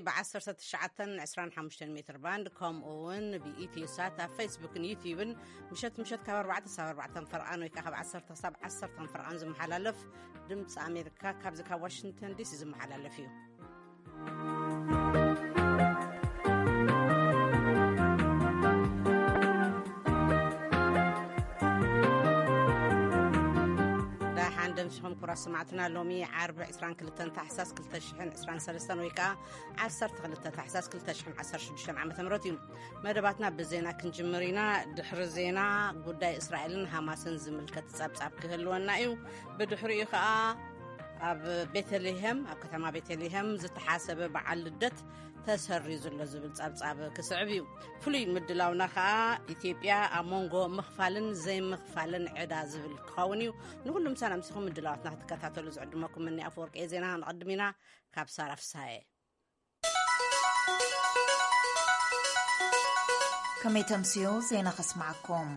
ብ1925 ሜትር ባንድ፣ ከምኡ እውን ብኢትዮ ሳት ኣብ ፌስቡክን ዩቲዩብን ምሸት ምሸት ካብ ኣርባዕተ ክሳብ ኣርባዕተ ፈርቓን ወይ ከዓ ካብ ዓሰርተ ክሳብ ዓሰርተ ፈርቓን ዝመሓላለፍ ድምፂ ኣሜሪካ ካብዚ ካብ ዋሽንግተን ዲሲ ዝመሓላለፍ እዩ። ደሓን ደምሲኹም ክቡራት ሰማዕትና። ሎሚ ዓርቢ ዕስራን ክልተን ታሕሳስ ክልተ ሽሕን ዕስራን ሰለስተን ወይ ከዓ ዓሰርተ ክልተ ታሕሳስ ክልተ ሽሕን ዓሰርተ ሽዱሽተን ዓመተ ምህረት እዩ። መደባትና ብዜና ክንጅምር ኢና። ድሕሪ ዜና ጉዳይ እስራኤልን ሃማስን ዝምልከት ጸብጻብ ክህልወና እዩ። ብድሕሪኡ ከዓ ኣብ ቤተልሔም፣ ኣብ ከተማ ቤተልሔም ዝተሓሰበ በዓል ልደት ተሰሪዙ ኣሎ ዝብል ጸብጻብ ክስዕብ እዩ። ፍሉይ ምድላውና ከዓ ኢትዮጵያ ኣብ መንጎ ምኽፋልን ዘይምኽፋልን ዕዳ ዝብል ክኸውን እዩ። ንኹሉም ሰላም ሲኹም ምድላዋትና ክትከታተሉ ዝዕድመኩም እኒ ኣፈወርቂ ዜና። ንቐድም ኢና ካብ ሳራ ፍሳሐ። ከመይ ተምስዩ ዜና ከስማዓኩም።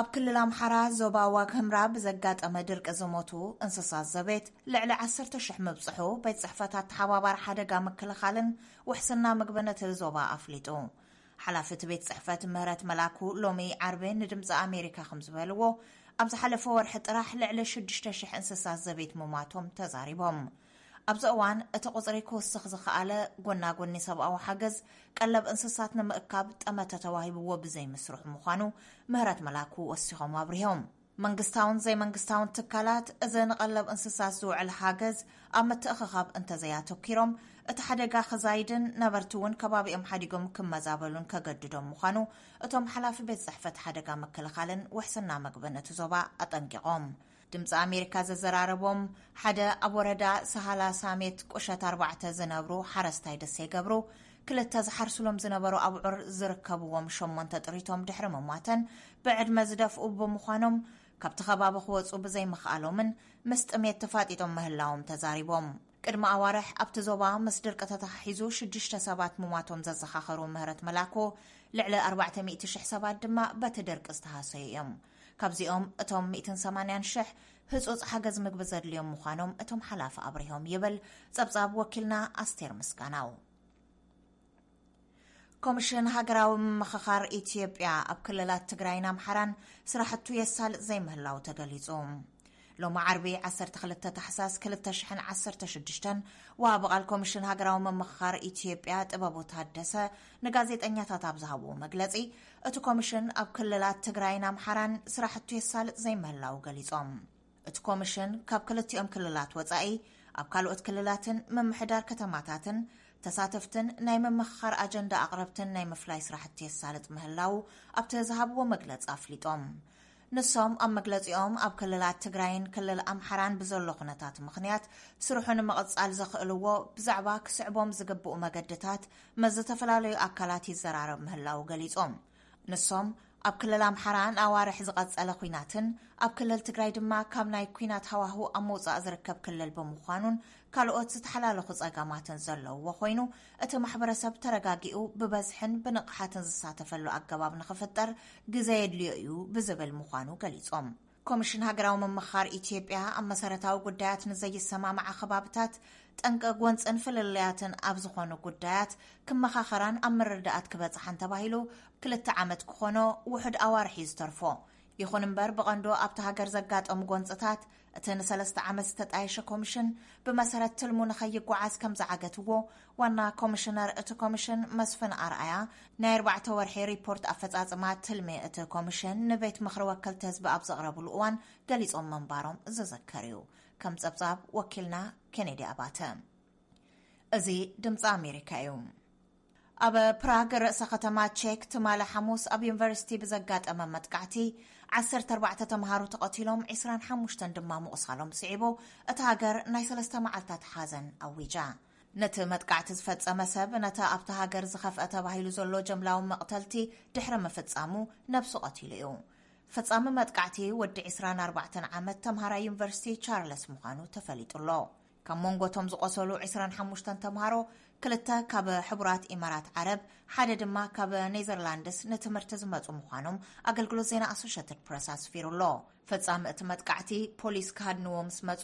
ኣብ ክልል ኣምሓራ ዞባ ዋግ ህምራ ብዘጋጠመ ድርቂ ዝሞቱ እንስሳት ዘቤት ልዕሊ ዓሰርተ ሽሕ ምብጽሑ ቤት ጽሕፈት ኣተሓባባሪ ሓደጋ ምክልኻልን ውሕስና ምግብን እቲ ዞባ ኣፍሊጡ። ሓላፊ እቲ ቤት ጽሕፈት ምህረት መላኩ ሎሚ ዓርቢ ንድምፂ ኣሜሪካ ከም ዝበልዎ፣ ኣብ ዝሓለፈ ወርሒ ጥራሕ ልዕሊ ሽዱሽተ ሽሕ እንስሳት ዘቤት ምሟቶም ተዛሪቦም። ኣብዚ እዋን እቲ ቁጽሪ ክውስኽ ዝኸኣለ ጎናጎኒ ሰብኣዊ ሓገዝ ቀለብ እንስሳት ንምእካብ ጠመተ ተዋሂብዎ ብዘይምስርሑ ምዃኑ ምህረት መላኩ ወሲኾም ኣብሪሆም። መንግስታውን ዘይመንግስታውን ትካላት እዚ ንቐለብ እንስሳት ዝውዕል ሓገዝ ኣብ ምትእኽኻብ እንተዘያተኪሮም፣ እቲ ሓደጋ ክዛይድን ነበርቲ እውን ከባቢኦም ሓዲጎም ክመዛበሉን ከገድዶም ምዃኑ እቶም ሓላፊ ቤት ጽሕፈት ሓደጋ ምክልኻልን ውሕስና መግብን እቲ ዞባ ኣጠንቂቖም። ድምፂ ኣሜሪካ ዘዘራረቦም ሓደ ኣብ ወረዳ ሰሃላ ሳሜት ቁሸት ኣርባዕተ ዝነብሩ ሓረስታይ ደሴ ገብሩ፣ ክልተ ዝሓርስሎም ዝነበሩ ኣብዑር ዝርከብዎም ሸሞንተ ጥሪቶም ድሕሪ ምሟተን ብዕድመ ዝደፍኡ ብምዃኖም፣ ካብቲ ከባቢ ክወፁ ብዘይምኽኣሎምን ምስ ጥሜት ተፋጢጦም ምህላዎም ተዛሪቦም። ቅድሚ ኣዋርሕ ኣብቲ ዞባ ምስ ድርቂ ተተሓሒዙ ሽዱሽተ ሰባት ምሟቶም ዘዘኻኸሩ ምህረት መላኮ፣ ልዕሊ ኣርባዕተ ሚእቲ ሽሕ ሰባት ድማ በቲ ድርቂ ዝተሃሰዩ እዮም። ካብዚኦም እቶም ሚእትን ሰማንያን ሽሕ ህጹጽ ሓገዝ ምግቢ ዘድልዮም ምዃኖም እቶም ሓላፊ ኣብሪሆም ይብል ጸብጻብ ወኪልና ኣስቴር ምስጋናው። ኮሚሽን ሃገራዊ ምምኽኻር ኢትዮጵያ ኣብ ክልላት ትግራይን ኣምሓራን ስራሕቱ የሳልጥ ዘይምህላው ተገሊጹ። ሎሚ ዓርቢ ዓሰርተ ክልተ ታሕሳስ ክልተ ሽሕን ዓሰርተ ሽዱሽተን ወሃቢ ቃል ኮሚሽን ሃገራዊ ምምኽኻር ኢትዮጵያ ጥበቡ ታደሰ ንጋዜጠኛታት ኣብ ዝሃብዎ መግለጺ፣ እቲ ኮሚሽን ኣብ ክልላት ትግራይን ኣምሓራን ስራሕቱ የሳልጥ ዘይምህላው ገሊጾም። እቲ ኮሚሽን ካብ ክልቲኦም ክልላት ወጻኢ ኣብ ካልኦት ክልላትን ምምሕዳር ከተማታትን ተሳተፍትን ናይ ምምኽኻር ኣጀንዳ ኣቕረብትን ናይ ምፍላይ ስራሕቲ የሳልጥ ምህላው ኣብቲ ዝሃብዎ መግለጺ ኣፍሊጦም። ንሶም ኣብ መግለጺኦም ኣብ ክልላት ትግራይን ክልል ኣምሓራን ብዘሎ ኩነታት ምኽንያት ስርሑ ንምቕጻል ዘኽእልዎ ብዛዕባ ክስዕቦም ዝግብኡ መገድታት ምስ ዝተፈላለዩ ኣካላት ይዘራረብ ምህላው ገሊጾም። ንሶም ኣብ ክልል ኣምሓራ ንኣዋርሕ ዝቐጸለ ኲናትን ኣብ ክልል ትግራይ ድማ ካብ ናይ ኲናት ሃዋህው ኣብ ምውጻእ ዝርከብ ክልል ብምዃኑን ካልኦት ዝተሓላለኹ ጸገማትን ዘለውዎ ኮይኑ፣ እቲ ማሕበረሰብ ተረጋጊኡ ብበዝሕን ብንቕሓትን ዝሳተፈሉ ኣገባብ ንኽፍጠር ግዘ የድልዮ እዩ ብዝብል ምዃኑ ገሊጾም። ኮሚሽን ሃገራዊ ምምኽኻር ኢትዮጵያ ኣብ መሰረታዊ ጉዳያት ንዘይሰማምዓ ከባብታት ጠንቂ ጎንፅን ፍልልያትን ኣብ ዝኾኑ ጉዳያት ክመኻኸራን ኣብ ምርዳኣት ክበፅሓን ተባሂሉ ክልተ ዓመት ክኾኖ ውሑድ ኣዋርሕ እዩ ዝተርፎ። ይኹን እምበር ብቐንዶ ኣብቲ ሃገር ዘጋጠሙ ጎንፅታት እቲ ንሰለስተ ዓመት ዝተጣየሸ ኮሚሽን ብመሰረት ትልሙ ንኸይጓዓዝ ከም ዝዓገትዎ ዋና ኮሚሽነር እቲ ኮሚሽን መስፍን ኣርኣያ ናይ ኣርባዕተ ወርሒ ሪፖርት ኣፈጻጽማ ትልሚ እቲ ኮሚሽን ንቤት ምኽሪ ወከልቲ ህዝቢ ኣብ ዘቕረብሉ እዋን ገሊጾም ምንባሮም ዝዝከር እዩ። ከም ጸብጻብ ወኪልና ኬኔዲ ኣባተ። እዚ ድምጺ ኣሜሪካ እዩ። ኣብ ፕራግ ርእሰ ከተማ ቼክ ትማሊ ሓሙስ ኣብ ዩኒቨርሲቲ ብዘጋጠመ መጥቃዕቲ ዓሰርተ ኣርባዕተ ተምሃሮ ተቐቲሎም፣ ዕስራን ሓሙሽተን ድማ ምቑሳሎም ስዒቡ፣ እታ ሃገር ናይ ሰለስተ መዓልታት ሓዘን ኣዊጃ። ነቲ መጥቃዕቲ ዝፈጸመ ሰብ ነቲ ኣብታ ሃገር ዝኸፍአ ተባሂሉ ዘሎ ጀምላዊ መቕተልቲ ድሕሪ ምፍጻሙ ነብሱ ቀቲሉ እዩ። ፈጻሚ መጥቃዕቲ ወዲ ዕስራን ኣርባዕተን ዓመት ተምሃራይ ዩኒቨርሲቲ ቻርለስ ምዃኑ ተፈሊጡ ኣሎ። ካብ መንጎ እቶም ዝቖሰሉ ዕስራን ሓሙሽተን ተምሃሮ፣ ክልተ ካብ ሕቡራት ኢማራት ዓረብ፣ ሓደ ድማ ካብ ኔዘርላንድስ ንትምህርቲ ዝመጹ ምዃኖም ኣገልግሎት ዜና ኣሶሼትድ ፕረስ ኣስፊሩ ኣሎ። ፈጻሚ እቲ መጥቃዕቲ ፖሊስ ክሃድንዎ ምስ መጹ፣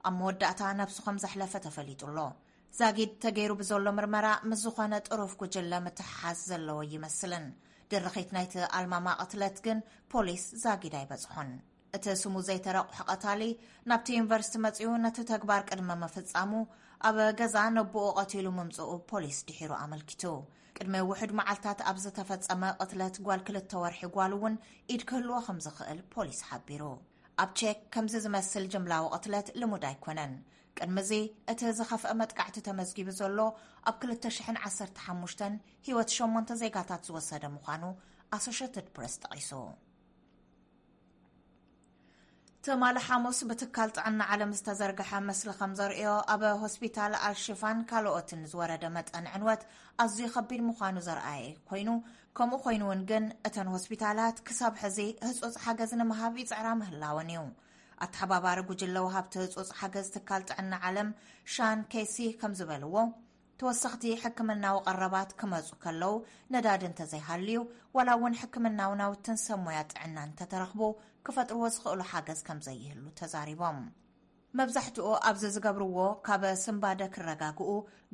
ኣብ መወዳእታ ነብሱ ከም ዘሕለፈ ተፈሊጡ ኣሎ። ዛጊድ ተገይሩ ብዘሎ ምርመራ ምስ ዝኾነ ጥሩፍ ጉጅለ ምትሕሓዝ ዘለዎ ይመስልን። ድርኺት ናይቲ ኣልማማ ቅትለት ግን ፖሊስ ዛጊድ ኣይበጽሖን። እቲ ስሙ ዘይተረቑሐ ቀታሊ ናብቲ ዩኒቨርሲቲ መጺኡ ነቲ ተግባር ቅድሚ ምፍጻሙ ኣብ ገዛ ነቦኡ ቀቲሉ ምምጽኡ ፖሊስ ድሒሩ ኣመልኪቱ። ቅድሚ ውሑድ መዓልታት ኣብ ዝተፈጸመ ቅትለት ጓል ክልተ ወርሒ ጓል እውን ኢድ ክህልዎ ከም ዝኽእል ፖሊስ ሓቢሩ። ኣብ ቼክ ከምዚ ዝመስል ጅምላዊ ቅትለት ልሙድ ኣይኮነን። ቅድሚ እዚ እቲ ዝኸፍአ መጥቃዕቲ ተመዝጊቡ ዘሎ ኣብ ክልተ ሽሕን ዓሰርተ ሓሙሽተን ህይወት ሸሞንተ ዜጋታት ዝወሰደ ምዃኑ ኣሶሸትድ ፕረስ ጠቒሱ። ትማሊ ሓሙስ ብትካል ጥዕና ዓለም ዝተዘርግሐ ምስሊ ከም ዘርእዮ፣ ኣብ ሆስፒታል ኣልሽፋን ካልኦትን ዝወረደ መጠን ዕንወት ኣዝዩ ከቢድ ምዃኑ ዘርኣየ ኮይኑ፣ ከምኡ ኮይኑ እውን ግን እተን ሆስፒታላት ክሳብ ሕዚ ህጹጽ ሓገዝ ንምሃብ ይጽዕራ ምህላወን እዩ። ኣተሓባባሪ ጉጅለ ወሃብቲ ህጹጽ ሓገዝ ትካል ጥዕና ዓለም ሻን ኬሲ ከም ዝበልዎ፣ ተወሰኽቲ ሕክምናዊ ቀረባት ክመጹ ከለዉ ነዳዲ እንተዘይሃልዩ፣ ዋላ እውን ሕክምናዊ ናውትን ሰብ ሞያ ጥዕና እንተተረኽቡ፣ ክፈጥርዎ ዝኽእሉ ሓገዝ ከም ዘይህሉ ተዛሪቦም። መብዛሕትኡ ኣብዚ ዝገብርዎ ካብ ስንባደ ክረጋግኡ፣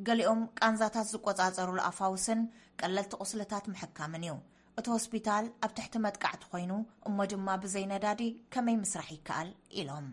ገሊኦም ቃንዛታት ዝቆጻጸሩሉ ኣፋውስን ቀለልቲ ቁስልታት ምሕካምን እዩ። እቲ ሆስፒታል ኣብ ትሕቲ መጥቃዕቲ ኮይኑ፣ እሞ ድማ ብዘይ ነዳዲ ከመይ ምስራሕ ይከኣል? ኢሎም።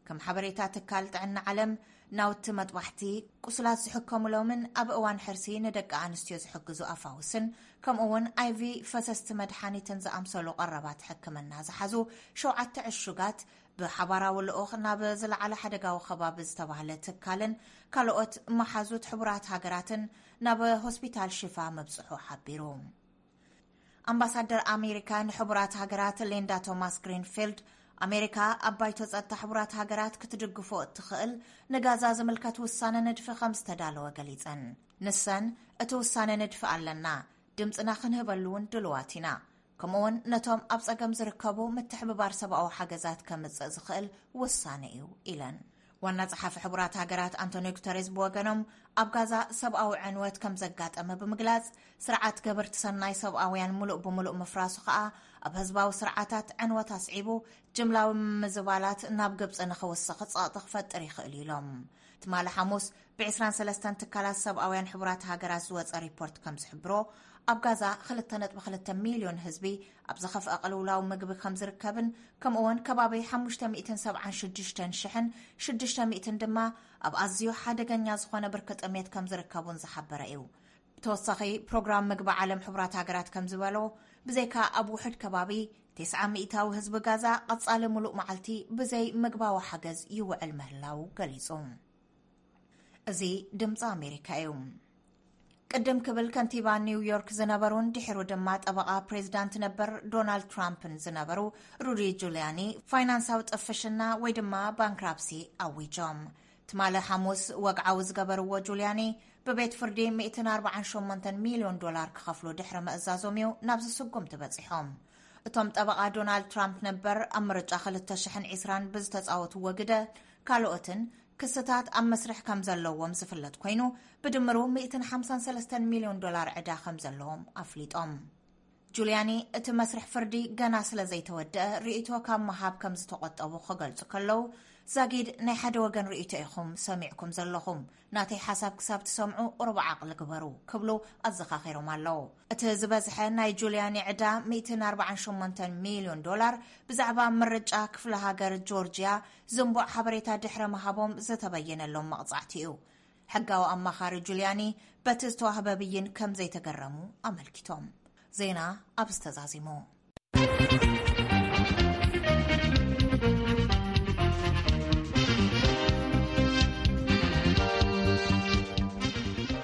ከም ሓበሬታ ትካል ጥዕና ዓለም፣ ናውቲ መጥባሕቲ፣ ቁስላት ዝሕከሙሎምን ኣብ እዋን ሕርሲ ንደቂ ኣንስትዮ ዝሕግዙ ኣፋውስን፣ ከምኡ እውን ኣይቪ ፈሰስቲ መድሓኒትን ዝኣምሰሉ ቀረባት ሕክምና ዝሓዙ ሸውዓተ ዕሹጋት ብሓባራዊ ልኡኽ ናብ ዝለዓለ ሓደጋዊ ከባቢ ዝተባህለ ትካልን ካልኦት መሓዙት ሕቡራት ሃገራትን ናብ ሆስፒታል ሽፋ ምብጽሑ ሓቢሩ። ኣምባሳደር ኣሜሪካ ንሕቡራት ሃገራት ሊንዳ ቶማስ ግሪንፊልድ፣ ኣሜሪካ ኣብ ባይቶ ጸጥታ ሕቡራት ሃገራት ክትድግፎ እትኽእል ንጋዛ ዝምልከት ውሳነ ንድፊ ከም ዝተዳለወ ገሊጸን። ንሰን፣ እቲ ውሳነ ንድፊ ኣለና፣ ድምጽና ክንህበሉ እውን ድልዋት ኢና። ከምኡውን ነቶም ኣብ ጸገም ዝርከቡ ምትሕብባር ሰብኣዊ ሓገዛት ከምጽእ ዝኽእል ውሳነ እዩ ኢለን። ዋና ጸሓፊ ሕቡራት ሃገራት ኣንቶኒዮ ጉተሬዝ ብወገኖም፣ ኣብ ጋዛ ሰብኣዊ ዕንወት ከም ዘጋጠመ ብምግላጽ፣ ስርዓት ገበርቲ ሰናይ ሰብኣውያን ምሉእ ብምሉእ ምፍራሱ ከኣ ኣብ ህዝባዊ ስርዓታት ዕንወት ኣስዒቡ፣ ጅምላዊ ምምዝባላት ናብ ግብጺ ንኽውስኽ ጸቕጢ ክፈጥር ይኽእል ኢሎም። ትማሊ ሓሙስ ብ23 ትካላት ሰብኣውያን ሕቡራት ሃገራት ዝወጸ ሪፖርት ከም ዝሕብሮ፣ ኣብ ጋዛ ክልተ ነጥቢ ክልተ ሚልዮን ህዝቢ ኣብ ዝኸፍአ ቅልውላው ምግቢ ከም ዝርከብን፣ ከምኡውን ከባቢ ሓሙሽተ ሚእትን ሰብዓን ሽዱሽተን ሽሕን ሽዱሽተ ሚእትን ድማ ኣብ ኣዝዩ ሓደገኛ ዝኾነ ብርኪ ጥሜት ከም ዝርከቡን ዝሓበረ እዩ። ብተወሳኺ፣ ፕሮግራም ምግቢ ዓለም ሕቡራት ሃገራት ከም ዝበሎ፣ ብዘይካ ኣብ ውሑድ ከባቢ፣ ተስዓ ሚእታዊ ህዝቢ ጋዛ ቀጻሊ ምሉእ መዓልቲ ብዘይ ምግባዊ ሓገዝ ይውዕል ምህላው ገሊጹ። እዚ ድምጺ ኣሜሪካ እዩ። ቅድም ክብል ከንቲባ ኒውዮርክ ዝነበሩን ድሕሩ ድማ ጠበቓ ፕሬዚዳንት ነበር ዶናልድ ትራምፕን ዝነበሩ ሩዲ ጁልያኒ፣ ፋይናንሳዊ ጥፍሽና ወይ ድማ ባንክራፕሲ ኣዊጆም። ትማሊ ሓሙስ ወግዓዊ ዝገበርዎ ጁልያኒ፣ ብቤት ፍርዲ ሚእትን ኣርባዓን ሸሞንተን ሚልዮን ዶላር ክኸፍሉ ድሕሪ ምእዛዞም እዩ ናብዚ ስጉምቲ በጺሖም። እቶም ጠበቓ ዶናልድ ትራምፕ ነበር ኣብ ምርጫ ክልተ ሽሕን ዕስራን ብዝተጻወትዎ ግደ፣ ካልኦትን ክስታት ኣብ መስርሕ ከም ዘለዎም ዝፍለጥ ኮይኑ፣ ብድምሩ ሚእትን ሓምሳን ሰለስተን ሚልዮን ዶላር ዕዳ ከም ዘለዎም ኣፍሊጦም። ጁልያኒ፣ እቲ መስርሕ ፍርዲ ገና ስለ ዘይተወደአ፣ ርእይቶ ካብ ምሃብ ከም ዝተቖጠቡ ክገልጹ ከለዉ፣ ዛጊድ ናይ ሓደ ወገን ርእይቶ ኢኹም ሰሚዕኩም ዘለኹም፣ ናተይ ሓሳብ ክሳብ ትሰምዑ ቁሩብ ዓቕሊ ግበሩ ክብሉ ኣዘኻኺሮም ኣለዉ። እቲ ዝበዝሐ ናይ ጁልያኒ ዕዳ ሚእትን ኣርባዓን ሸሞንተን ሚልዮን ዶላር ብዛዕባ ምርጫ ክፍለ ሃገር ጆርጅያ ዝንቡዕ ሓበሬታ ድሕሪ ምሃቦም ዝተበየነሎም መቕጻዕቲ እዩ። ሕጋዊ ኣማኻሪ ጁልያኒ በቲ ዝተዋህበ ብይን ከም ዘይተገረሙ ኣመልኪቶም። ዜና ኣብዚ ተዛዚሙ።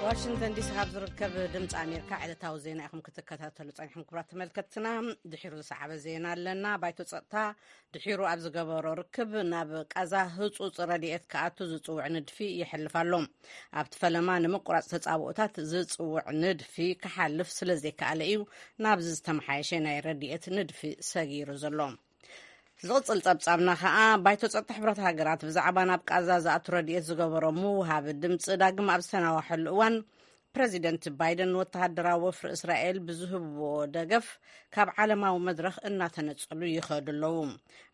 ዋሽንግተን ዲሲ ካብ ዝርከብ ድምፂ ኣሜሪካ ዕለታዊ ዜና ኢኹም ክትከታተሉ ጸኒሕኩም። ክቡራት ተመልከትትና፣ ድሒሩ ዝሰዓበ ዜና ኣለና። ባይቶ ጸጥታ ድሒሩ ኣብ ዝገበሮ ርክብ፣ ናብ ቃዛ ህጹጽ ረድኤት ክኣቱ ዝጽውዕ ንድፊ ይሕልፍ ኣሎ። ኣብቲ ፈለማ ንምቁራጽ ተጻብኦታት ዝጽውዕ ንድፊ ክሓልፍ ስለ ዘይከኣለ እዩ ናብዚ ዝተመሓየሸ ናይ ረድኤት ንድፊ ሰጊሩ ዘሎ። ዝቕጽል ጸብጻብና ከኣ፣ ባይቶ ጸጥታ ሕቡራት ሃገራት ብዛዕባ ናብ ቃዛ ዝኣቱ ረድኤት ዝገበሮ ምውሃብ ድምጺ ዳግም ኣብ ዝተናዋሐሉ እዋን፣ ፕረዚደንት ባይደን ወተሃደራዊ ወፍሪ እስራኤል ብዝህብዎ ደገፍ ካብ ዓለማዊ መድረኽ እናተነጸሉ ይኸዱ ኣለዉ።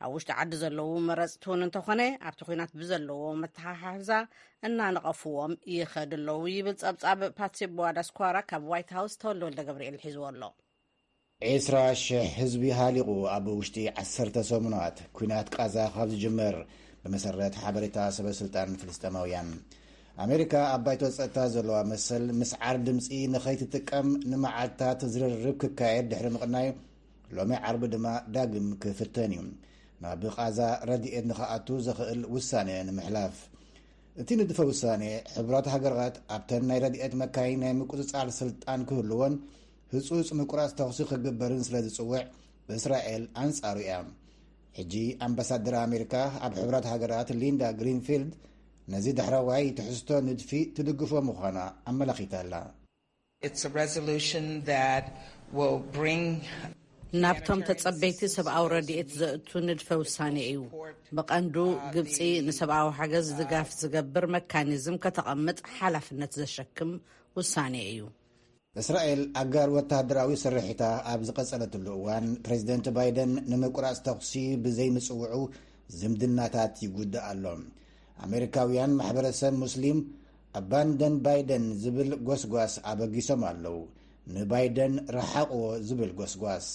ኣብ ውሽጢ ዓዲ ዘለዉ መረጽቲ እውን እንተኾነ ኣብቲ ኲናት ብዘለዎ መተሓሓዛ እናነቐፍዎም ይኸዱ ኣለዉ ይብል ጸብጻብ ፓትሲ ቦዋዳስኳራ ካብ ዋይት ሃውስ ተወልደ ወልደ ገብርኤል ሒዝዎ ኣሎ። ዒስራ ሽሕ ህዝቢ ሃሊቑ ኣብ ውሽጢ ዓሰርተ ሰሙናት ኲናት ቃዛ ካብ ዝጅመር፣ ብመሰረት ሓበሬታ ሰበ ስልጣን ፍልስጤማውያን። ኣሜሪካ ኣብ ባይቶ ጸጥታ ዘለዋ መሰል ምስዓር ድምፂ ንኸይትጥቀም ንመዓልታት ዝርርብ ክካየድ ድሕሪ ምቕናዩ፣ ሎሚ ዓርቢ ድማ ዳግም ክፍተን እዩ። ናብ ቃዛ ረድኤት ንኽኣቱ ዘኽእል ውሳነ ንምሕላፍ። እቲ ንድፈ ውሳኔ፣ ሕቡራት ሃገራት ኣብተን ናይ ረድኤት መካይን ናይ ምቁጽጻር ስልጣን ክህልዎን ህጹጽ ምቁራጽ ተኹሲ ክግበርን ስለ ዝጽውዕ፣ እስራኤል ኣንጻሩ እያ። ሕጂ ኣምባሳደር ኣሜሪካ ኣብ ሕቡራት ሃገራት ሊንዳ ግሪንፊልድ ነዚ ዳሕረዋይ ትሕዝቶ ንድፊ ትድግፎ ምዃና ኣመላኺታ ኣላ። It's a resolution that will bring ናብቶም ተጸበይቲ ሰብኣዊ ረድኤት ዘእቱ ንድፈ ውሳኔ እዩ። ብቐንዱ ግብጺ ንሰብኣዊ ሓገዝ ድጋፍ ዝገብር መካኒዝም ከተቐምጥ ሓላፍነት ዘሸክም ውሳኔ እዩ። እስራኤል ኣጋር ወተሃደራዊ ስርሒታ ኣብ ዝቐጸለትሉ እዋን፣ ፕሬዚደንት ባይደን ንምቁራጽ ተኹሲ ብዘይምጽውዑ ዝምድናታት ይጉዳእ ኣሎ። ኣሜሪካውያን ማሕበረሰብ ሙስሊም ኣባንደን ባይደን ዝብል ጎስጓስ ኣበጊሶም ኣለዉ። ንባይደን ረሓቕዎ ዝብል ጎስጓስ።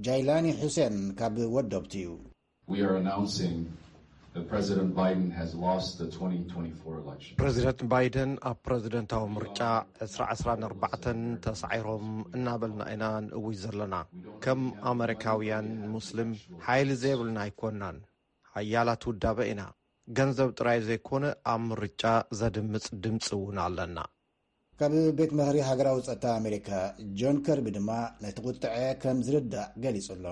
ጃይላኒ ሑሴን ካብ ወዶብቲ እዩ። We are announcing that President Biden has lost the twenty twenty-four election. ፕረዚደንት ባይደን ኣብ ፕረዚደንታዊ ምርጫ ዕስራ ዕስራ ንኣርባዕተን ተሳዒሮም እናበልና ኢና ንእውጅ ዘለና። ከም ኣመሪካውያን ሙስሊም ሓይሊ ዘይብልና ኣይኮናን። ሓያላት ውዳበ ኢና። ገንዘብ ጥራይ ዘይኮነ ኣብ ምርጫ ዘድምጽ ድምጺ እውን ኣለና። ካብ ቤት ምኽሪ ሃገራዊ ጸጥታ ኣሜሪካ ጆን ከርቢ ድማ ነቲ ቁጥዐ ከም ዝርዳእ ገሊጹ ኣሎ።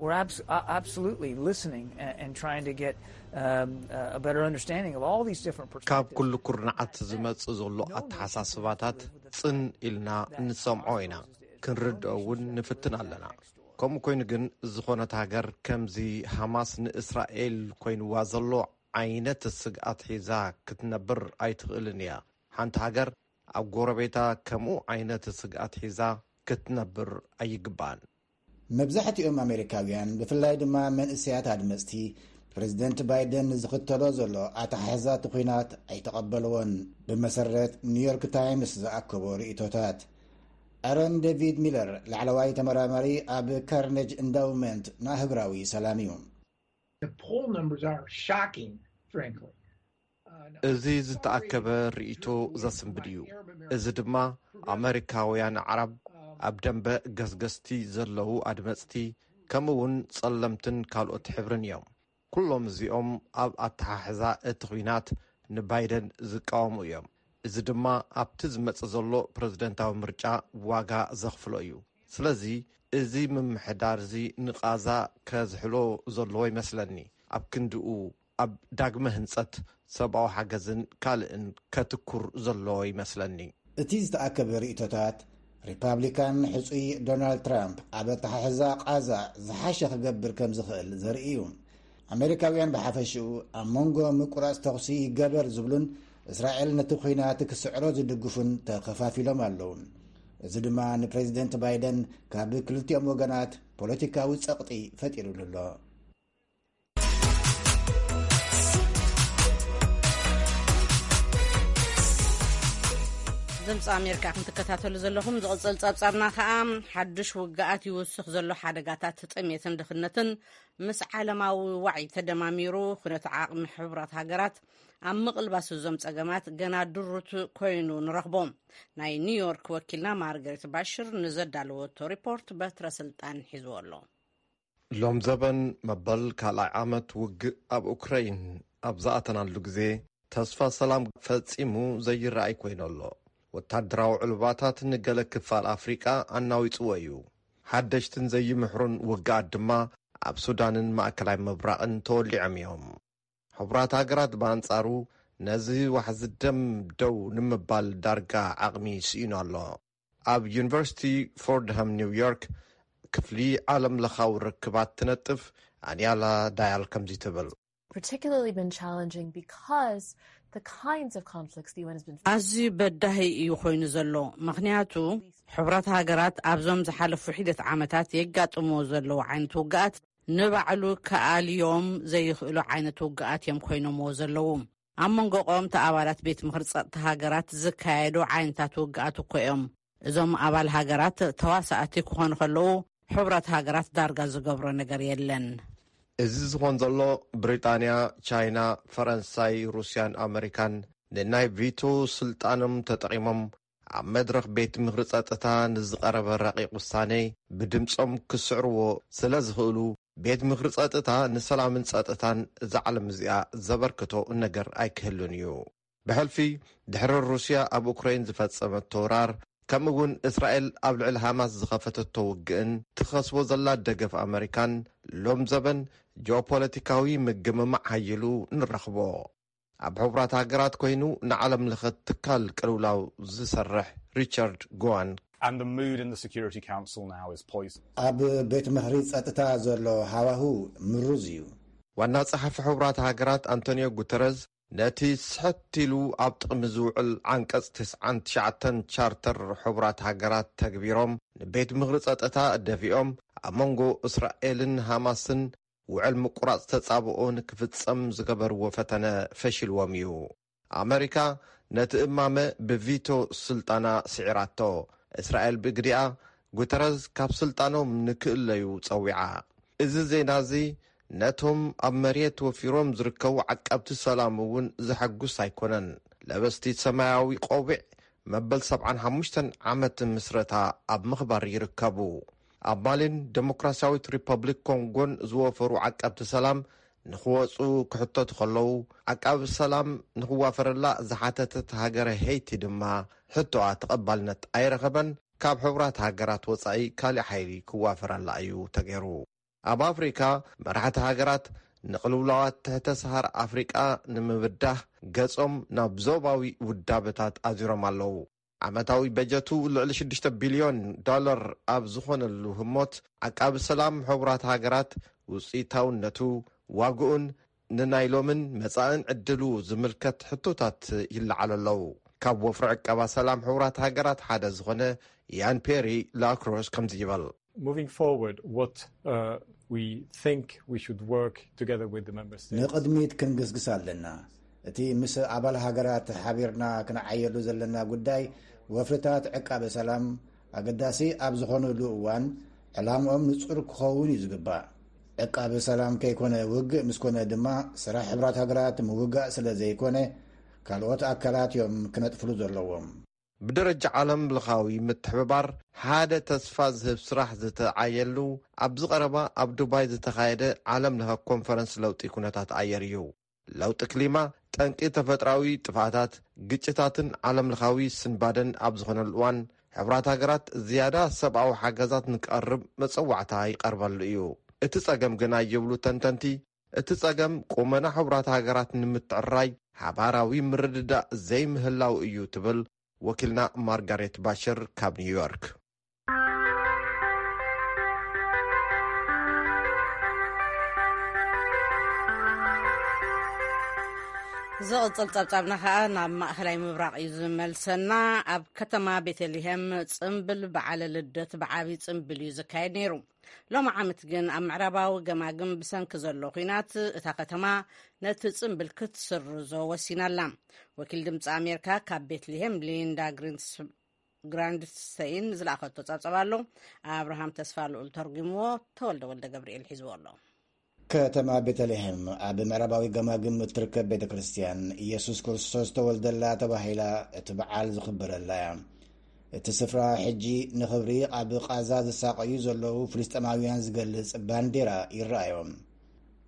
We're abs- uh, absolutely listening and, and trying to get um, uh, a better understanding of all these different ካብ perspectives. ኩሉ ኩርናዓት ዝመጽእ ዘሎ ኣተሓሳስባታት ጽን ኢልና እንሰምዖ ኢና፣ ክንርድኦ እውን ንፍትን ኣለና። ከምኡ ኮይኑ ግን ዝኾነት ሃገር ከምዚ ሃማስ ንእስራኤል ኮይንዋ ዘሎ ዓይነት ስግኣት ሒዛ ክትነብር ኣይትኽእልን እያ። ሓንቲ ሃገር ኣብ ጎረቤታ ከምኡ ዓይነት ስግኣት ሒዛ ክትነብር ኣይግባእን። መብዛሕትኦም ኣሜሪካውያን፣ ብፍላይ ድማ መንእሰያት ኣድመፅቲ፣ ፕሬዚደንት ባይደን ንዝኽተሎ ዘሎ ኣተሓሕዛ እቲ ኲናት ኣይተቐበልዎን። ብመሰረት ኒውዮርክ ታይምስ ዝኣከቦ ርእይቶታት፣ ኣረን ዴቪድ ሚለር፣ ላዕለዋይ ተመራማሪ ኣብ ካርኔጅ ኢንዳውመንት ንኣህጉራዊ ሰላም እዩ። The poll numbers are shocking, frankly. እዚ ዝተኣከበ ርእይቶ ዘስንብድ እዩ። እዚ ድማ ኣመሪካውያን ኣዕራብ፣ ኣብ ደንበ ገስገስቲ ዘለዉ ኣድመፅቲ፣ ከምኡ እውን ጸለምትን ካልኦት ሕብርን እዮም። ኩሎም እዚኦም ኣብ ኣተሓሕዛ እቲ ኲናት ንባይደን ዝቃወሙ እዮም። እዚ ድማ ኣብቲ ዝመጽእ ዘሎ ፕረዚደንታዊ ምርጫ ዋጋ ዘኽፍሎ እዩ። ስለዚ እዚ ምምሕዳር እዚ ንቓዛ ከዝሕሎ ዘለዎ ይመስለኒ። ኣብ ክንድኡ ኣብ ዳግመ ህንጸት፣ ሰብኣዊ ሓገዝን ካልእን ከትኩር ዘለዎ ይመስለኒ። እቲ ዝተኣከበ ርእይቶታት፣ ሪፓብሊካን ሕጹይ ዶናልድ ትራምፕ ኣብ ኣተሓሕዛ ቓዛ ዝሓሸ ክገብር ከም ዝኽእል ዘርኢ እዩ። ኣሜሪካውያን ብሓፈሽኡ ኣብ መንጎ ምቁራጽ ተኹሲ ይገበር ዝብሉን እስራኤል ነቲ ኲናት ክስዕሮ ዝድግፉን ተኸፋፊሎም ኣለዉ። እዚ ድማ ንፕሬዚደንት ባይደን ካብ ክልቲኦም ወገናት ፖለቲካዊ ጸቕጢ ፈጢሩሉ ኣሎ። ድምፂ ኣሜሪካ ኢኹም ትከታተሉ ዘለኹም። ዝቕፅል ፀብፃብና ከዓ ሓዱሽ ውግኣት ይውስኽ ዘሎ ሓደጋታት ጥሜትን ድኽነትን ምስ ዓለማዊ ዋዒ ተደማሚሩ ኩነተ ዓቕሚ ሕቡራት ሃገራት ኣብ ምቕልባስ እዞም ፀገማት ገና ድሩት ኮይኑ ንረኽቦ። ናይ ኒውዮርክ ወኪልና ማርገሬት ባሽር ንዘዳለወቶ ሪፖርት በትረ ስልጣን ሒዝዎ ኣሎ። ሎም ዘበን መበል ካልኣይ ዓመት ውግእ ኣብ ኡክረይን ኣብ ዝኣተናሉ ግዜ፣ ተስፋ ሰላም ፈጺሙ ዘይረኣይ ኮይኑ ኣሎ። ወታደራዊ ዕልባታት ንገለ ክፋል ኣፍሪቃ ኣናዊጽዎ እዩ። ሓደሽትን ዘይምሕሩን ውግኣት ድማ ኣብ ሱዳንን ማእከላይ ምብራቕን ተወሊዖም እዮም። ሕቡራት ሃገራት ብኣንጻሩ ነዚ ዋሕዚ ደም ደው ንምባል ዳርጋ ዓቕሚ ስኢኑ ኣሎ። ኣብ ዩኒቨርሲቲ ፎርድሃም ኒውዮርክ ክፍሊ ዓለም ለኻዊ ርክባት ትነጥፍ ኣንያላ ዳያል ከምዚ ትብል። particularly been challenging because the kinds of conflicts the U N has been ኣዝዩ በዳሂ እዩ ኮይኑ ዘሎ። ምኽንያቱ፣ ሕቡራት ሃገራት ኣብዞም ዝሓለፉ ሒደት ዓመታት የጋጥምዎ ዘለዉ ዓይነት ውግኣት ንባዕሉ ክኣልዮም ዘይኽእሉ ዓይነት ውግኣት እዮም ኮይኖምዎ ዘለዉ። ኣብ መንጎ ቀወምቲ ኣባላት ቤት ምኽሪ ጸጥታ ሃገራት ዝካየዱ ዓይነታት ውግኣት እኮ እዮም። እዞም ኣባል ሃገራት ተዋሳእቲ ክኾኑ ከለዉ፣ ሕቡራት ሃገራት ዳርጋ ዝገብሮ ነገር የለን። እዚ ዝኾን ዘሎ፣ ብሪጣንያ፣ ቻይና፣ ፈረንሳይ፣ ሩስያን ኣመሪካን ንናይ ቪቶ ስልጣኖም ተጠቒሞም ኣብ መድረኽ ቤት ምኽሪ ጸጥታ ንዝቐረበ ረቂቕ ውሳኔ ብድምጾም ክስዕርዎ ስለ ዝኽእሉ፣ ቤት ምኽሪ ጸጥታ ንሰላምን ጸጥታን እዛ ዓለም እዚኣ ዘበርክቶ ነገር ኣይክህሉን እዩ። ብሕልፊ፣ ድሕሪ ሩስያ ኣብ ኡክራይን ዝፈጸመቶ ወራር፣ ከምኡ እውን እስራኤል ኣብ ልዕሊ ሃማስ ዝኸፈተቶ ውግእን ትኸስቦ ዘላ ደገፍ ኣመሪካን፣ ሎም ዘበን ጂኦፖለቲካዊ ምግምማዕ ሓይሉ ንረኽቦ። ኣብ ሕቡራት ሃገራት ኮይኑ ንዓለም ለኸ ትካል ቅልውላው ዝሰርሕ ሪቻርድ ጎዋን፣ And the mood in the Security Council now is poisoned. ኣብ ቤት ምኽሪ ጸጥታ ዘሎ ሃዋሁ ምሩዝ እዩ። ዋና ጸሓፊ ሕቡራት ሃገራት ኣንቶኒዮ ጉተረዝ፣ ነቲ ስሕት ኢሉ ኣብ ጥቕሚ ዝውዕል ዓንቀጽ ትስዓን ትሽዓተን ቻርተር ሕቡራት ሃገራት ተግቢሮም፣ ንቤት ምኽሪ ጸጥታ ደፊኦም፣ ኣብ መንጎ እስራኤልን ሃማስን ውዕል ምቁራጽ ተጻብኦ ንክፍጸም ዝገበርዎ ፈተነ ፈሺልዎም እዩ። ኣመሪካ ነቲ እማመ ብቪቶ ስልጣና ስዒራቶ። እስራኤል ብግዲኣ፣ ጉተረዝ ካብ ስልጣኖም ንክእለዩ ጸዊዓ። እዚ ዜና እዚ ነቶም ኣብ መሬት ወፊሮም ዝርከቡ ዓቀብቲ ሰላም እውን ዘሐጉስ ኣይኮነን። ለበስቲ ሰማያዊ ቆቢዕ መበል ሰብዓን ሓሙሽተን ዓመት ምስረታ ኣብ ምኽባር ይርከቡ። ኣብ ማሊን ደሞክራሲያዊት ሪፐብሊክ ኮንጎን ዝወፈሩ ዓቀብቲ ሰላም ንኽወጹ ክሕተቱ ከለዉ፣ ዓቃቢ ሰላም ንኽዋፈረላ ዝሓተተት ሃገረ ሄይቲ ድማ ሕቶኣ ተቐባልነት ኣይረኸበን። ካብ ሕቡራት ሃገራት ወጻኢ ካሊእ ሓይሊ ክዋፈረላ እዩ ተገይሩ። ኣብ ኣፍሪካ፣ መራሕቲ ሃገራት ንቕልውላዋት ትሕተ ሰሃር ኣፍሪቃ ንምብዳህ ገጾም ናብ ዞባዊ ውዳበታት ኣዚሮም ኣለዉ። ዓመታዊ በጀቱ ልዕሊ ሽዱሽተ ቢልዮን ዶላር ኣብ ዝኾነሉ ህሞት፣ ዓቃቢ ሰላም ሕቡራት ሃገራት ውፅኢታውነቱ፣ ዋግኡን ንናይ ሎምን መጻእን ዕድሉ ዝምልከት ሕቶታት ይለዓሉ ኣለዉ። ካብ ወፍሪ ዕቀባ ሰላም ሕቡራት ሃገራት ሓደ ዝኾነ ያን ፔሪ ላክሮስ ከምዚ ይብል። Moving forward, what uh, we think we should work together with the member states. ንቕድሚት ክንግስግስ ኣለና። እቲ ምስ ኣባል ሃገራት ሓቢርና ክንዓየሉ ዘለና ጉዳይ፣ ወፍርታት ዕቃበ ሰላም ኣገዳሲ ኣብ ዝኾነሉ እዋን፣ ዕላምኦም ንጹር ክኸውን እዩ ዝግባእ። ዕቃበ ሰላም ከይኮነ፣ ውግእ ምስ ኮነ ድማ፣ ስራሕ ሕብራት ሃገራት ምውጋእ ስለ ዘይኮነ፣ ካልኦት ኣካላት እዮም ክነጥፍሉ ዘለዎም። ብደረጃ ዓለም ለኻዊ ምትሕብባር፣ ሓደ ተስፋ ዝህብ ስራሕ ዝተዓየሉ፣ ኣብዚ ቀረባ ኣብ ዱባይ ዝተኻየደ ዓለም ለኸ ኮንፈረንስ ለውጢ ኩነታት ኣየር እዩ። ለውጢ ክሊማ፣ ጠንቂ ተፈጥራዊ ጥፍኣታት፣ ግጭታትን ዓለም ለኻዊ ስንባደን ኣብ ዝኾነሉ እዋን፣ ሕብራት ሃገራት ዝያዳ ሰብኣዊ ሓገዛት ንክቐርብ መጸዋዕታ ይቐርበሉ እዩ። እቲ ጸገም ግና፣ ይብሉ ተንተንቲ፣ እቲ ጸገም ቁመና ሕቡራት ሃገራት ንምትዕራይ ሓባራዊ ምርድዳእ ዘይምህላው እዩ፣ ትብል ወኪልና ማርጋሬት ባሽር ካብ ኒውዮርክ። ዝቕጽል ጸብጻብና ኸኣ ናብ ማእኸላይ ምብራቕ እዩ ዝመልሰና። ኣብ ከተማ ቤተልሔም ጽምብል በዓለ ልደት ብዓቢ ጽምብል እዩ ዝካየድ ነይሩ። ሎሚ ዓመት ግን ኣብ ምዕራባዊ ገማግም ብሰንኪ ዘሎ ኲናት እታ ከተማ ነቲ ጽምብል ክትስርዞ ወሲና ኣላ። ወኪል ድምጺ ኣሜሪካ ካብ ቤትልሄም ሊንዳ ግሪንስ-፣ ግራንድስተይን ዝለኣኸቶ ጸብጸብ ኣሎ። ኣብርሃም ተስፋ ልኡል ተርጉምዎ፣ ተወልደ ወልደ ገብርኤል ሒዝዎ ኣሎ። ከተማ ቤተልሄም ኣብ ምዕራባዊ ገማግም እትርከብ ቤተ ክርስቲያን፣ ኢየሱስ ክርስቶስ ተወልደላ ተባሂላ እቲ በዓል ዝኽበረላ እያ። እቲ ስፍራ ሕጂ ንኽብሪ ኣብ ቓዛ ዝሳቐዩ ዘለዉ ፍልስጤማውያን ዝገልጽ ባንዴራ ይረኣዮም።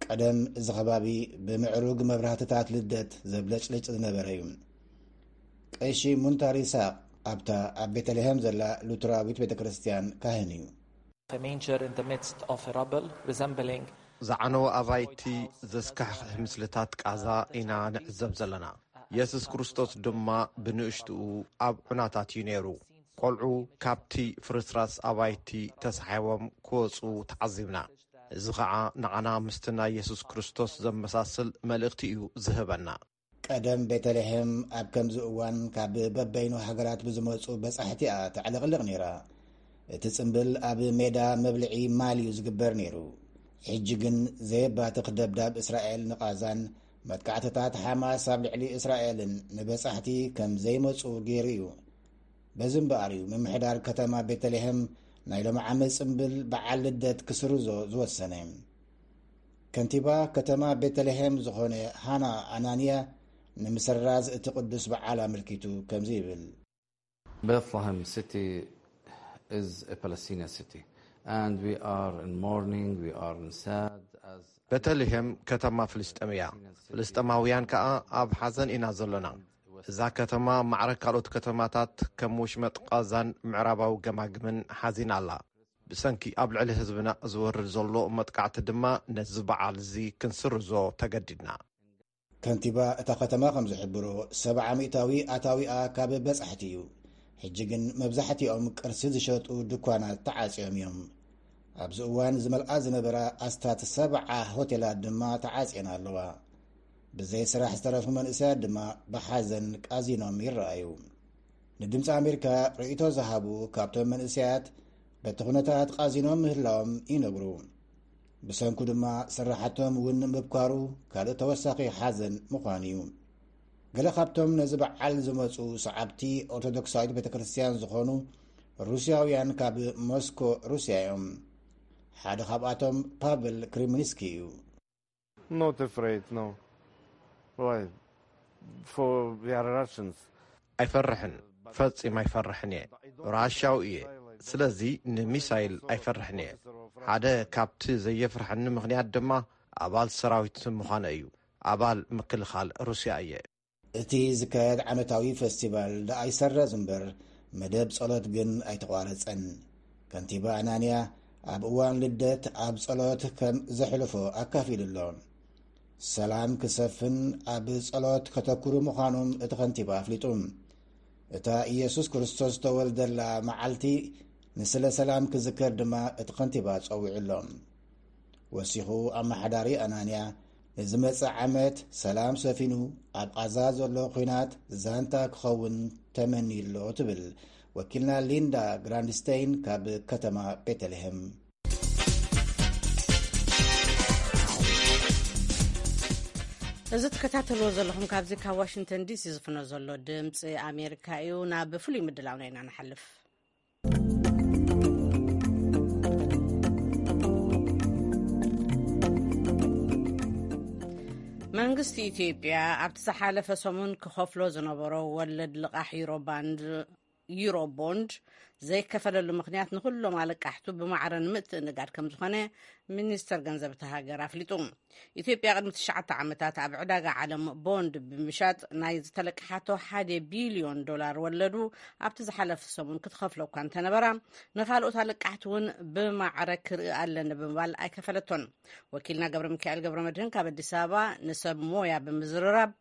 ቀደም እዚ ከባቢ ብምዕሩግ መብራህትታት ልደት ዘብለጭልጭ ዝነበረ እዩ። ቀሺ ሙንታር ይስሐቅ ኣብታ ኣብ ቤተልሔም ዘላ ሉትራዊት ቤተ ክርስቲያን ካህን እዩ። A manger in the midst of a rubble, resembling ዝዓነወ ኣባይቲ ዘስካሕክሕ ምስልታት ቃዛ ኢና ንዕዘብ ዘለና። የሱስ ክርስቶስ ድማ ብንእሽትኡ ኣብ ዑናታት እዩ ነይሩ። ቆልዑ ካብቲ ፍርስራስ ኣባይቲ ተሳሒቦም ክወጹ ተዓዚብና። እዚ ኸኣ ንዓና ምስቲ ናይ የሱስ ክርስቶስ ዘመሳስል መልእኽቲ እዩ ዝህበና። ቀደም ቤተልሔም ኣብ ከምዚ እዋን ካብ በበይኑ ሃገራት ብዝመጹ በጻሕቲ እያ ተዕለቕልቕ ነይራ። እቲ ጽምብል ኣብ ሜዳ መብልዒ ማል እዩ ዝግበር ነይሩ። ሕጂ ግን ዘየባትኽ ደብዳብ እስራኤል ንቓዛን መጥቃዕትታት ሓማስ ኣብ ልዕሊ እስራኤልን ንበጻሕቲ ከም ዘይመጹ ገይሩ እዩ። በዚ እምበኣር እዩ ምምሕዳር ከተማ ቤተልሔም ናይ ሎሚ ዓመት ጽምብል በዓል ልደት ክስርዞ ዝወሰነ። ከንቲባ ከተማ ቤተልሔም ዝኾነ ሃና ኣናንያ ንምስራዝ እቲ ቅዱስ በዓል ኣመልኪቱ ከምዚ ይብል። Bethlehem city is a Palestinian city, and we are in mourning, we are in sad as ቤተልሔም ከተማ ፍልስጤም እያ። ፍልስጤማውያን ከኣ ኣብ ሓዘን ኢና ዘሎና። እዛ ከተማ ማዕረ ካልኦት ከተማታት ከም ወሽመጥ ቃዛን ምዕራባዊ ገማግምን ሓዚና ኣላ። ብሰንኪ ኣብ ልዕሊ ህዝብና ዝወርድ ዘሎ መጥቃዕቲ ድማ ነዚ በዓል እዚ ክንስርዞ ተገዲድና። ከንቲባ እታ ከተማ ከም ዝሕብሮ፣ ሰብዓ ሚእታዊ ኣታዊኣ ካብ በጻሕቲ እዩ። ሕጂ ግን መብዛሕትኦም ቅርሲ ዝሸጡ ድኳናት ተዓጽዮም እዮም። ኣብዚ እዋን ዝመልኣ ዝነበራ ኣስታት ሰብዓ ሆቴላት ድማ ተዓጽየን ኣለዋ። ብዘይ ስራሕ ዝተረፉ መንእሰያት ድማ ብሓዘን ቃዚኖም ይረኣዩ። ንድምፂ ኣሜሪካ ርእይቶ ዝሃቡ ካብቶም መንእሰያት፣ በቲ ኩነታት ቃዚኖም ምህላዎም ይነግሩ። ብሰንኩ ድማ ስራሓቶም እውን ምብኳሩ ካልእ ተወሳኺ ሓዘን ምዃኑ እዩ። ገለ ካብቶም ነዚ በዓል ዝመፁ ሰዓብቲ ኦርቶዶክሳዊት ቤተ ክርስቲያን ዝኾኑ ሩስያውያን ካብ ሞስኮ ሩስያ እዮም። ሓደ ካብኣቶም ፓቨል ክሪምኒስኪ እዩ። Not afraid, no. Why? For we are Russians. ኣይፈርሕን፣ ፈጺም ኣይፈርሕን እየ። ራሻው እየ። ስለዚ ንሚሳይል ኣይፈርሕን እየ። ሓደ ካብቲ ዘየፍርሐኒ ምኽንያት ድማ ኣባል ሰራዊት ምዃነ እዩ። ኣባል ምክልኻል ሩስያ እየ። እቲ ዝካየድ ዓመታዊ ፈስቲቫል ደኣ ይሰረዝ እምበር፣ መደብ ጸሎት ግን ኣይተቋረጸን። ከንቲባ ኣናንያ ኣብ እዋን ልደት ኣብ ጸሎት ከም ዘሕልፎ ኣካፊሉ ኣሎ። ሰላም ክሰፍን ኣብ ጸሎት ከተኩሩ ምዃኖም እቲ ከንቲባ ኣፍሊጡ። እታ ኢየሱስ ክርስቶስ ዝተወልደላ መዓልቲ ንስለ ሰላም ክዝከር ድማ እቲ ከንቲባ ጸዊዑ ኣሎ። ወሲኹ ኣመሓዳሪ ኣናንያ፣ ንዝመጽእ ዓመት ሰላም ሰፊኑ ኣብ ቓዛ ዘሎ ኲናት ዛንታ ክኸውን ተመንዩ ኣሎ ትብል ወኪልና ሊንዳ ግራንድስተይን ካብ ከተማ ቤተልሔም። እዚ ትከታተልዎ ዘለኹም ካብዚ ካብ ዋሽንግተን ዲሲ ዝፍኖ ዘሎ ድምፂ ኣሜሪካ እዩ። ናብ ፍሉይ ምድላውና ኢና ንሓልፍ። መንግስቲ ኢትዮጵያ ኣብቲ ዝሓለፈ ሰሙን ክኸፍሎ ዝነበሮ ወለድ ልቓሕ ዩሮ ባንድ ዩሮ ቦንድ ዘይከፈለሉ ምኽንያት ንኹሎም ኣለቃሕቱ ብማዕረ ንምትእንጋድ ከም ዝኾነ ሚኒስተር ገንዘብ እታ ሃገር ኣፍሊጡ። ኢትዮጵያ ቅድሚ ትሽዓተ ዓመታት ኣብ ዕዳጋ ዓለም ቦንድ ብምሻጥ ናይ ዝተለቅሓቶ ሓደ ቢልዮን ዶላር ወለዱ ኣብቲ ዝሓለፈ ሰሙን ክትኸፍሎ እኳ እንተነበራ፣ ንኻልኦት ኣለቃሕቲ እውን ብማዕረ ክርኢ ኣለኒ ብምባል ኣይከፈለቶን። ወኪልና ገብረ ሚካኤል ገብረ መድህን ካብ ኣዲስ ኣበባ ንሰብ ሞያ ብምዝርራብ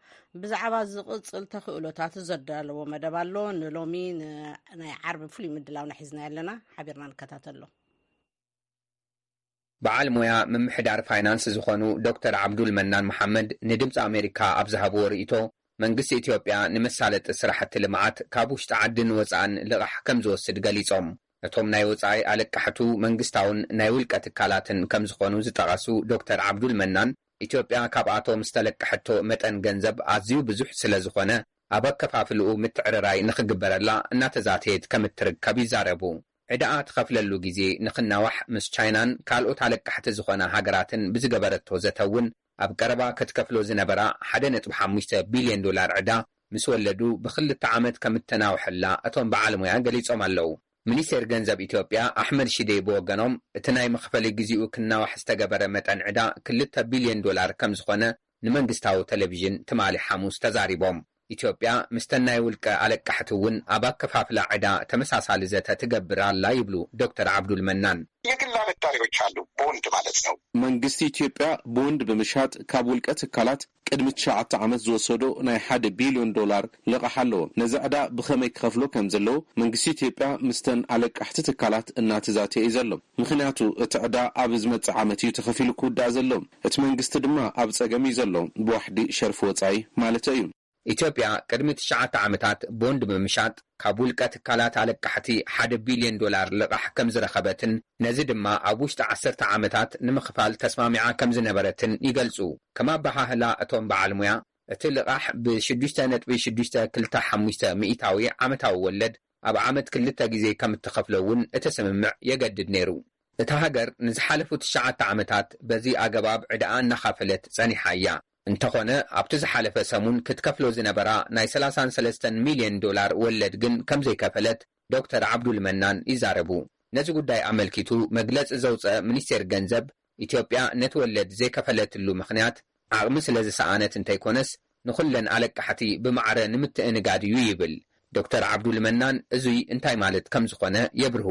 ብዛዕባ ዝቕጽል ተኽእሎታት ዘዳለዎ መደብ ኣሎ። ንሎሚ ን-፣ ናይ ዓርቢ ፍሉይ ምድላውና ሒዝና ኣለና፣ ሓቢርና ንከታተሎ። በዓል ሞያ ምምሕዳር ፋይናንስ ዝኾኑ ዶክተር ዓብዱል መናን መሓመድ ንድምፂ ኣሜሪካ ኣብ ዝሃብዎ ርእይቶ፣ መንግስቲ ኢትዮጵያ ንመሳለጢ ስራሕቲ ልምዓት ካብ ውሽጢ ዓድን ወፃእን ልቓሕ ከም ዝወስድ ገሊፆም። እቶም ናይ ወፃኢ ኣለቃሕቱ መንግስታውን ናይ ውልቀ ትካላትን ከም ዝኾኑ ዝጠቐሱ ዶክተር ዓብዱል መናን፣ ኢትዮጵያ ካብኣቶም ዝተለቀሐቶ መጠን ገንዘብ ኣዝዩ ብዙሕ ስለ ዝኾነ፣ ኣብ ኣከፋፍልኡ ምትዕርራይ ንኽግበረላ እናተዛተየት ከም እትርከብ ይዛረቡ። ዕዳኣ ትኸፍለሉ ግዜ ንኽናዋሕ ምስ ቻይናን ካልኦት ኣለቃሕቲ ዝኾና ሃገራትን ብዝገበረቶ ዘተ እውን፣ ኣብ ቀረባ ክትከፍሎ ዝነበራ ሓደ ነጥቢ ሓሙሽተ ቢልዮን ዶላር ዕዳ ምስ ወለዱ ብኽልተ ዓመት ከም እተናውሐላ እቶም በዓል ሞያ ገሊጾም ኣለዉ። ሚኒስቴር ገንዘብ ኢትዮጵያ ኣሕመድ ሽዴ ብወገኖም፣ እቲ ናይ መኽፈሊ ግዜኡ ክናዋሕ ዝተገበረ መጠን ዕዳ ክልተ ቢልዮን ዶላር ከም ዝኾነ ንመንግስታዊ ቴሌቪዥን ትማሊ ሓሙስ ተዛሪቦም። ኢትዮጵያ ምስተን ናይ ውልቀ ኣለቃሕቲ እውን ኣብ ኣከፋፍላ ዕዳ ተመሳሳሊ ዘተ ትገብር ኣላ ይብሉ ዶክተር ዓብዱል መናን። የግል አበዳሪዎች አሉ፣ ቦንድ ማለት ነው። መንግስቲ ኢትዮጵያ ቦንድ ብምሻጥ ካብ ውልቀ ትካላት ቅድሚ ትሽዓተ ዓመት ዝወሰዶ ናይ ሓደ ቢልዮን ዶላር ልቓሕ ኣለዎ። ነዚ ዕዳ ብኸመይ ክኸፍሎ ከም ዘለዎ መንግስቲ ኢትዮጵያ ምስተን ኣለቃሕቲ ትካላት እናተዛተየ እዩ ዘሎ። ምኽንያቱ እቲ ዕዳ ኣብ ዝመጽእ ዓመት እዩ ተኸፊሉ ክውዳእ ዘሎ። እቲ መንግስቲ ድማ ኣብ ጸገም እዩ ዘሎ፣ ብዋሕዲ ሸርፊ ወጻኢ ማለት እዩ። ኢትዮጵያ ቅድሚ ትሽዓተ ዓመታት ቦንድ ብምሻጥ ካብ ውልቀ ትካላት ኣለቃሕቲ ሓደ ቢልዮን ዶላር ልቓሕ ከም ዝረኸበትን ነዚ ድማ ኣብ ውሽጢ ዓሰርተ ዓመታት ንምኽፋል ተስማሚዓ ከም ዝነበረትን ይገልጹ። ከም ኣበሃህላ እቶም በዓል ሙያ፣ እቲ ልቓሕ ብ ሽዱሽተ ነጥቢ ሽዱሽተ ክልተ ሓሙሽተ ሚእታዊ ዓመታዊ ወለድ ኣብ ዓመት ክልተ ግዜ ከም እትኸፍሎ እውን እቲ ስምምዕ የገድድ ነይሩ። እታ ሃገር ንዝሓለፉ ትሽዓተ ዓመታት በዚ ኣገባብ ዕዳኣ እናኻፈለት ጸኒሓ እያ። እንተኾነ ኣብቲ ዝሓለፈ ሰሙን ክትከፍሎ ዝነበራ ናይ ሰላሳን ሰለስተን ሚልዮን ዶላር ወለድ ግን ከም ዘይከፈለት ዶክተር ዓብዱል መናን ይዛረቡ። ነዚ ጉዳይ ኣመልኪቱ መግለጺ ዘውጸአ ሚኒስቴር ገንዘብ፣ ኢትዮጵያ ነቲ ወለድ ዘይከፈለትሉ ምኽንያት ዓቕሚ ስለ ዝሰኣነት እንተይኮነስ ንኹለን ኣለቃሕቲ ብማዕረ ንምትእንጋድ እዩ ይብል። ዶክተር ዓብዱል መናን እዙይ እንታይ ማለት ከም ዝኾነ የብርሁ።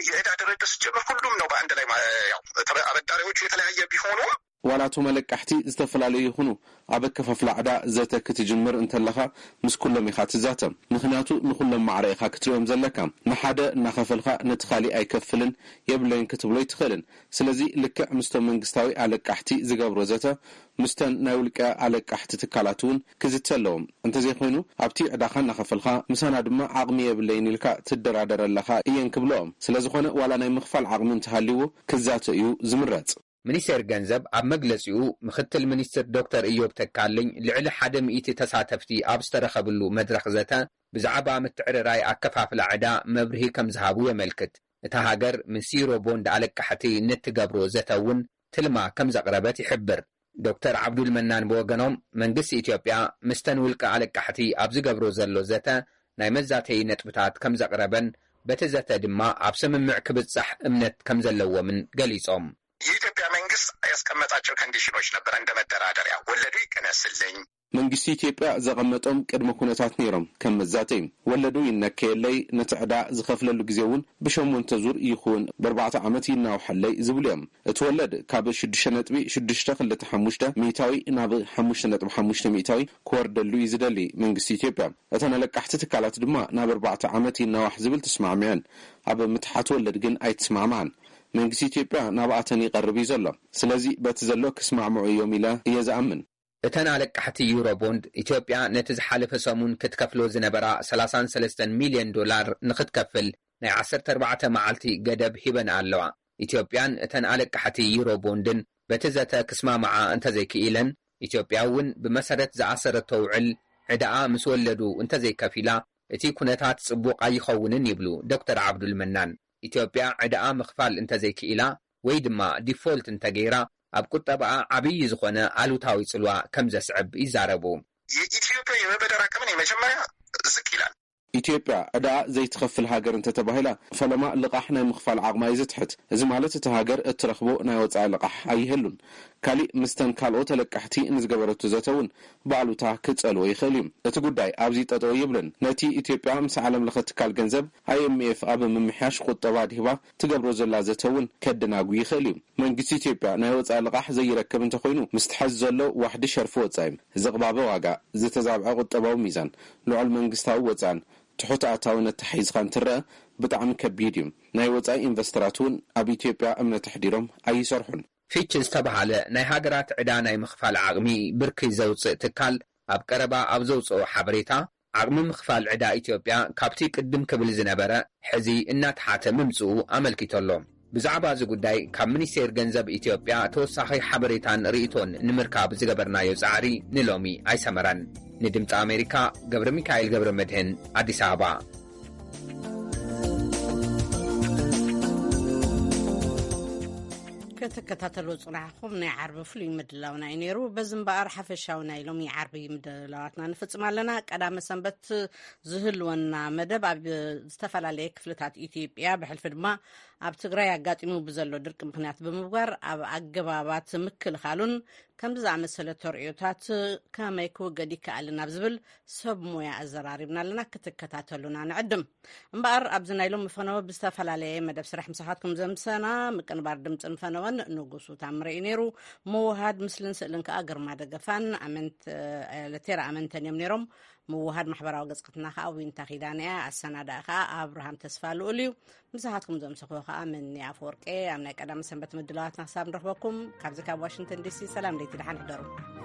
የዕዳ ድርድር ሲጀመር ሁሉም ነው በአንድ ላይ ማ- ያው ተበ- አበዳሪዎቹ የተለያየ ቢሆኑም ዋላ እቶም ኣለቃሕቲ ዝተፈላለዩ ይኹኑ፣ ኣብ ኣከፋፍላ ዕዳ ዘተ ክትጅምር እንተለኻ ምስ ኩሎም ኢኻ ትዛተ። ምኽንያቱ ንኹሎም ማዕረ ኢኻ ክትሪኦም ዘለካ። ንሓደ እናኸፈልካ ነቲ ካሊእ ኣይከፍልን የብለይን ክትብሎ ኣይትኽእልን። ስለዚ ልክዕ ምስቶም መንግስታዊ ኣለቃሕቲ ዝገብሮ ዘተ፣ ምስተን ናይ ውልቀ ኣለቃሕቲ ትካላት እውን ክዝተ ኣለዎም። እንተዘይኮይኑ ኣብቲ ዕዳኻ እናኸፈልካ ምሳና ድማ ዓቕሚ የብለይን ኢልካ ትደራደር ኣለኻ እየን ክብልኦም። ስለዝኾነ ዋላ ናይ ምኽፋል ዓቕሚ እንተሃልይዎ ክዛተ እዩ ዝምረጽ። ሚኒስቴር ገንዘብ ኣብ መግለጺኡ፣ ምኽትል ሚኒስትር ዶክተር እዮብ ተካልኝ ልዕሊ ሓደ ሚእቲ ተሳተፍቲ ኣብ ዝተረኸብሉ መድረኽ ዘተ ብዛዕባ ምትዕርራይ ኣከፋፍላ ዕዳ መብርሂ ከም ዝሃቡ የመልክት። እታ ሃገር ምስ ዩሮ ቦንድ ኣለቃሕቲ ንትገብሮ ዘተ እውን ትልማ ከም ዘቕረበት ይሕብር። ዶክተር ዓብዱል መናን ብወገኖም፣ መንግስቲ ኢትዮጵያ ምስተን ውልቀ ኣለቃሕቲ ኣብ ዝገብሮ ዘሎ ዘተ ናይ መዛተዪ ነጥብታት ከም ዘቕረበን በቲ ዘተ ድማ ኣብ ስምምዕ ክብጻሕ እምነት ከም ዘለዎምን ገሊጾም። የኢትዮጵያ መንግስት ያስቀመጣቸው ኮንዲሽኖች ነበረ እንደ መደራደሪያ፣ ወለዱ ይቀነስልኝ። መንግስቲ ኢትዮጵያ ዘቐመጦም ቅድመ ኩነታት ነይሮም ከም መዛተይ። ወለዱ ይነከየለይ፣ ነቲ ዕዳ ዝኸፍለሉ ግዜ እውን ብሸሞንተ ዙር ይኹን ብኣርባዕተ ዓመት ይናውሐለይ ዝብሉ እዮም። እቲ ወለድ ካብ ሽዱሽተ ነጥቢ ሽዱሽተ ክልተ ሓሙሽተ ሚእታዊ ናብ ሓሙሽተ ነጥቢ ሓሙሽተ ሚእታዊ ክወርደሉ እዩ ዝደሊ መንግስቲ ኢትዮጵያ። እተን ኣለቃሕቲ ትካላት ድማ ናብ ኣርባዕተ ዓመት ይናዋሕ ዝብል ተስማዕሚዐን። ኣብ ምትሓት ወለድ ግን ኣይተስማዕማዓን። መንግስቲ ኢትዮጵያ ናብኣተን ይቐርብ እዩ ዘሎ። ስለዚ በቲ ዘሎ ክስማዕምዑ እዮም ኢለ እየ ዝኣምን። እተን ኣለቃሕቲ ዩሮ ቦንድ፣ ኢትዮጵያ ነቲ ዝሓለፈ ሰሙን ክትከፍሎ ዝነበራ ሰላሳን ሰለስተን ሚልዮን ዶላር ንክትከፍል ናይ ዓሰርተ ኣርባዕተ መዓልቲ ገደብ ሂበን ኣለዋ። ኢትዮጵያን እተን ኣለቃሕቲ ዩሮ ቦንድን በቲ ዘተ ክስማማዓ እንተዘይክኢለን፣ ኢትዮጵያ እውን ብመሰረት ዝኣሰረቶ ውዕል ዕዳኣ ምስ ወለዱ እንተዘይከፊላ፣ እቲ ኩነታት ጽቡቕ ኣይኸውንን ይብሉ ዶክተር ዓብዱል መናን። ኢትዮጵያ ዕዳኣ ምኽፋል እንተዘይክኢላ ወይ ድማ ዲፎልት እንተገይራ፣ ኣብ ቁጠባኣ ዓብዪ ዝኾነ ኣሉታዊ ጽልዋ ከም ዘስዕብ ይዛረቡ። የኢትዮጵያ የመበደር አቅምን የመጀመሪያ ዝቅ ይላል። ኢትዮጵያ ዕዳኣ ዘይትኸፍል ሃገር እንተተባሂላ፣ ፈለማ ልቓሕ ናይ ምኽፋል ዓቕማ እዩ ዝትሕት። እዚ ማለት እታ ሃገር እትረኽቦ ናይ ወጻኢ ልቓሕ ኣይህሉን። ካሊእ፣ ምስተን ካልኦት ተለቃሕቲ ንዝገበረቶ ዘተ እውን ብኣሉታ ክጸልዎ ይኽእል እዩ። እቲ ጉዳይ ኣብዚ ጠጠው ይብልን። ነቲ ኢትዮጵያ ምስ ዓለም ለኸ ትካል ገንዘብ፣ ኣይ ኤም ኤፍ፣ ኣብ ምምሕያሽ ቁጠባ ድህባ ትገብሮ ዘላ ዘተ እውን ከደናጉ ይኽእል እዩ። መንግስቲ ኢትዮጵያ ናይ ወጻኢ ልቓሕ ዘይረክብ እንተኾይኑ፣ ምስ ትሐዝ ዘሎ ዋሕዲ ሸርፊ ወጻኢ፣ ዝቕባበ ዋጋ፣ ዝተዛብዐ ቁጠባዊ ሚዛን፣ ልዑል መንግስታዊ ወጻእን ትሑት ኣታዊ ነተሓሒዝካ እንትረአ ብጣዕሚ ከቢድ እዩ። ናይ ወጻኢ ኢንቨስተራት እውን ኣብ ኢትዮጵያ እምነት ኣሕዲሮም ኣይሰርሑን። ፊች ዝተባሃለ ናይ ሃገራት ዕዳ ናይ ምኽፋል ዓቕሚ ብርኪ ዘውጽእ ትካል ኣብ ቀረባ ኣብ ዘውጽኦ ሓበሬታ፣ ዓቕሚ ምኽፋል ዕዳ ኢትዮጵያ ካብቲ ቅድም ክብል ዝነበረ ሕዚ እናተሓተ ምምጽኡ ኣመልኪቱ ኣሎ። ብዛዕባ እዚ ጉዳይ ካብ ሚኒስቴር ገንዘብ ኢትዮጵያ ተወሳኺ ሓበሬታን ርእይቶን ንምርካብ ዝገበርናዮ ጻዕሪ ንሎሚ ኣይሰመረን። ንድምፂ ኣሜሪካ፣ ገብረ ሚካኤል ገብረ መድህን፣ ኣዲስ ኣበባ። ክትከታተሉ ጽናሕኩም ናይ ዓርቢ ፍሉይ ምድላውና እዩ ነይሩ። በዚ እምበኣር ሓፈሻዊ ናይ ሎሚ ዓርቢ ምድላዋትና ንፍጽም ኣለና። ቀዳመ ሰንበት ዝህልወና መደብ ኣብ ዝተፈላለየ ክፍልታት ኢትዮጵያ፣ ብሕልፊ ድማ ኣብ ትግራይ ኣጋጢሙ ብዘሎ ድርቂ ምኽንያት ብምግባር፣ ኣብ ኣገባባት ምክልኻሉን ከምዚ ዝኣመሰለ ተርእዮታት ከመይ ክውገድ ይከኣልን ኣብ ዝብል ሰብ ሞያ ኣዘራሪብና ኣለና። ክትከታተሉና ንዕድም። እምበኣር ኣብዚ ናይ ሎሚ ፈነወ ብዝተፈላለየ መደብ ስራሕ ምሳኻትኩም ዘምሰና ምቅንባር ድምፅን ፈነወን ንጉሱ ታምረ እዩ ነይሩ። ምውሃድ ምስልን ስእልን ከዓ ግርማ ደገፋን ኣመንት ለቴራ ኣመንተን እዮም ነይሮም። ምውሃድ ማሕበራዊ ገፅቅትና ከዓ ዊንታ ኪዳነ እያ። ኣሰናዳእ ከዓ ኣብርሃም ተስፋ ልኡል እዩ። ምሳኻትኩም ዘምሰኽዎ ከዓ ምኒ ኣፈወርቄ። ኣብ ናይ ቀዳሚ ሰንበት ምድላዋትና ክሳብ ንረኽበኩም ካብዚ ካብ ዋሽንግተን ዲሲ ሰላም ለይቲ ደሓን ሕደሩ።